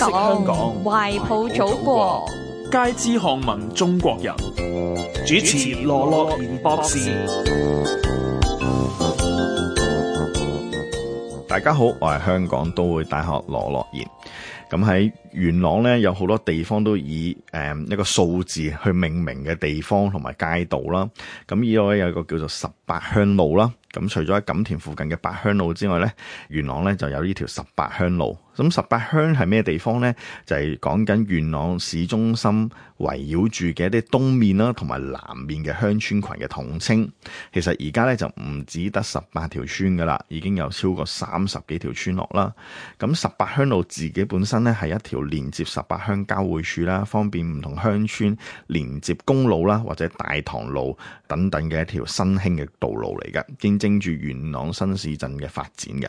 香港，懷抱祖國，皆知巷聞中國人。主持羅樂賢博士。大家好，我係香港都會大學羅樂賢。咁喺元朗咧，有好多地方都以一個數字去命名嘅地方同埋街道啦。咁依度咧有一個叫做18鄉路啦。咁除咗喺錦田附近嘅八鄉路之外咧，元朗咧就有呢條18鄉路。咁18鄉係咩地方咧？就係講緊元朗市中心圍繞住嘅一啲東面啦，同埋南面嘅鄉村群嘅統稱。其實而家咧就唔止得18條村噶啦，已經有超過30幾條村落啦。咁18鄉路自己本身咧係一條連接18鄉交匯處啦，方便唔同鄉村連接公路啦，或者大棠路等等嘅一條新興嘅道路嚟嘅，見證住元朗新市鎮嘅發展嘅。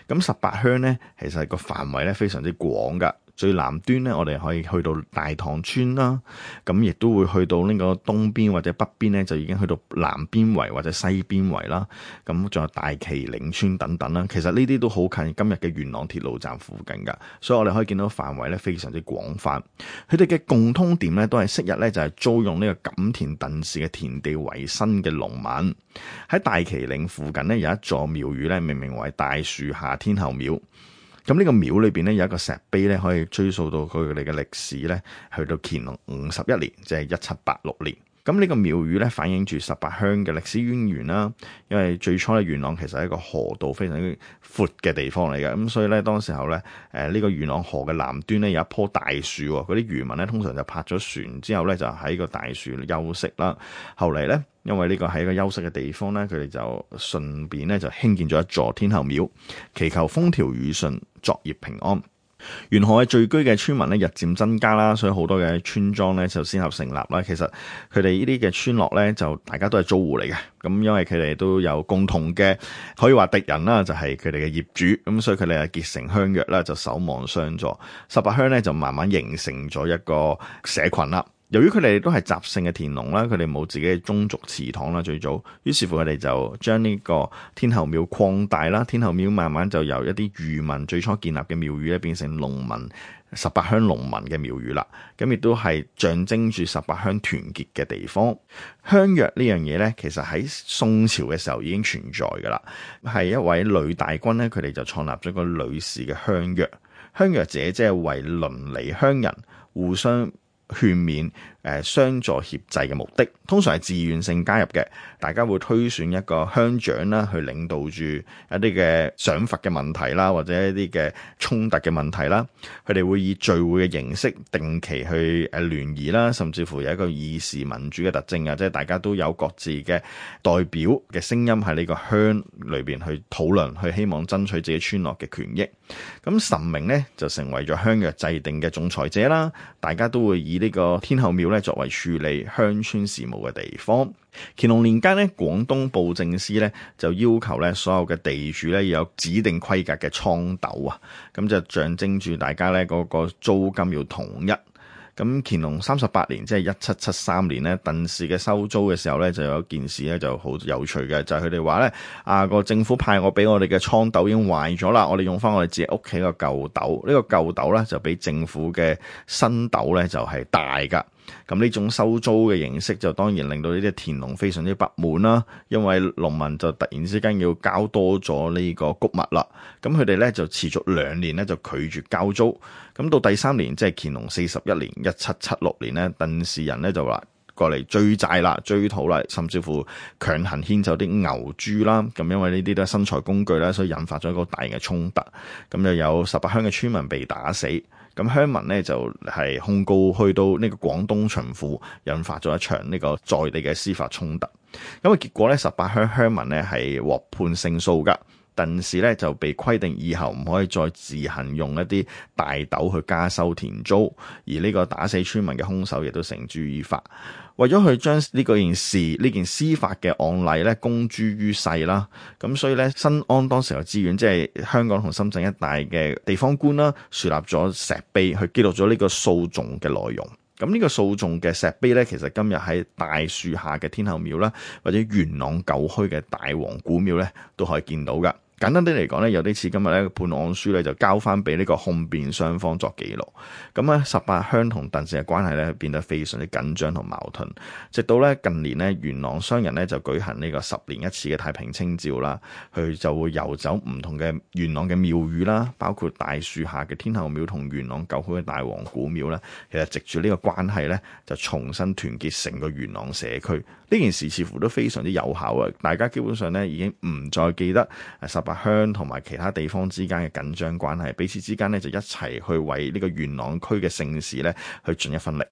咁18鄉咧，其實個範圍咧非常之廣噶。最南端咧，我哋可以去到大棠村啦，咁亦都會去到呢個東邊或者北邊咧，就已經去到南邊圍或者西邊圍啦。咁仲有大旗嶺村等等啦。其實呢啲都好近今日嘅元朗鐵路站附近噶，所以我哋可以見到範圍咧非常之廣泛。佢哋嘅共通點咧都係昔日咧就係租用呢個錦田鄧氏嘅田地為生嘅農民。喺大旗嶺附近咧有一座廟宇咧，命名為大樹下天后廟。咁呢個廟裏邊咧有一個石碑咧，可以追溯到佢哋嘅歷史咧，去到乾隆51年，即係1786年。咁呢個廟宇咧反映住18鄉嘅歷史淵源啦。因為最初咧元朗其實係一個河道非常之闊嘅地方嚟嘅，咁所以咧當時候咧呢個元朗河嘅南端咧有一棵大樹，嗰啲漁民咧通常就泊咗船之後咧就喺個大樹休息啦。後嚟咧因為呢個係一個休息嘅地方咧，佢哋就順便咧就興建咗一座天后廟，祈求風調雨順、作業平安。沿河嘅聚居嘅村民咧日漸增加啦，所以好多嘅村莊咧就先後成立啦。其實佢哋呢啲嘅村落咧就大家都係租戶嚟嘅，咁因為佢哋都有共同嘅可以話敵人啦，就係佢哋嘅業主，咁所以佢哋係結成鄉約啦，就守望相助。18鄉咧就慢慢形成咗一個社群啦。由於佢哋都係雜姓嘅田農啦，佢哋冇自己嘅宗族祠堂啦，最早，於是乎佢哋就將呢個天后廟擴大啦。天后廟慢慢就由一啲漁民最初建立嘅廟宇咧，變成農民18鄉農民嘅廟宇啦。咁亦都係象徵住18鄉團結嘅地方。鄉約呢樣嘢咧，其實喺宋朝嘅時候已經存在噶啦，係一位女大軍咧，佢哋就創立咗個女士嘅鄉約。鄉約者即係為鄰里鄉人互相勸勉相助協濟嘅目的，通常係自願性加入嘅。大家會推選一個鄉長啦，去領導住一啲嘅賞罰嘅問題啦，或者一啲嘅衝突嘅問題啦。佢哋會以聚會嘅形式定期去聯誼啦，甚至乎有一個議事民主嘅特徵啊，即係大家都有各自嘅代表嘅聲音喺呢個鄉裏邊去討論，去希望爭取自己村落嘅權益。咁神明呢，就成為咗鄉約制定嘅仲裁者啦，大家都會以呢個天后廟咧作為處理鄉村事務嘅地方。乾隆年間咧，廣東布政司咧就要求咧所有嘅地主咧要有指定規格嘅倉斗啊，咁就象徵住大家咧嗰個租金要統一。咁乾隆38年，即係1773年咧，鄧氏嘅收租嘅時候咧，就有一件事咧就好有趣嘅，就係佢哋話咧個政府派我俾我哋嘅倉斗已經壞咗啦，我哋用翻我哋自己屋企個舊斗，呢個舊斗咧就比政府嘅新斗咧就係大噶。咁呢種收租嘅形式就當然令到呢啲田農非常之不滿啦，因為農民就突然之間要交多咗呢個穀物啦，咁佢哋咧就持續2年咧就拒絕交租，咁到第3年即係乾隆41年1776年咧，鄧氏人咧就話過嚟追債啦、追討啦，甚至乎強行牽走啲牛豬啦，咁因為呢啲都係生財工具啦，所以引發咗一個大嘅衝突，咁就有18鄉嘅村民被打死。咁鄉民咧就係控告去到呢個廣東巡撫，引發咗一場呢個在地嘅司法衝突。咁結果咧18鄉鄉民咧係獲判勝訴噶，鄧氏咧就被規定以後唔可以再自行用一啲大斗去加收田租，而呢個打死村民嘅兇手亦都繩之於法。為咗去將呢件司法嘅案例咧公諸於世啦，咁所以咧新安當時嘅知縣，即係香港同深圳一帶嘅地方官啦，樹立咗石碑去記錄咗呢個訴訟嘅內容。咁呢個訴訟嘅石碑咧，其實今日喺大樹下嘅天后廟啦，或者元朗舊墟嘅大王古廟咧，都可以見到噶。簡單啲嚟講咧，有啲似今日咧判案書咧就交翻俾呢個控辯雙方作記錄。咁咧18鄉同鄧氏嘅關係咧變得非常之緊張同矛盾，直到咧近年咧元朗商人咧就舉行呢個10年一次嘅太平清醮啦，佢就會遊走唔同嘅元朗嘅廟宇啦，包括大樹下嘅天后廟同元朗舊區嘅大王古廟啦。其實藉住呢個關係咧，就重新團結成個元朗社區。呢件事似乎都非常之有效啊！大家基本上咧已經唔再記得18鄉同埋其他地方之間嘅緊張關係，彼此之間咧就一齊去為呢個元朗區嘅盛事咧去盡一分力。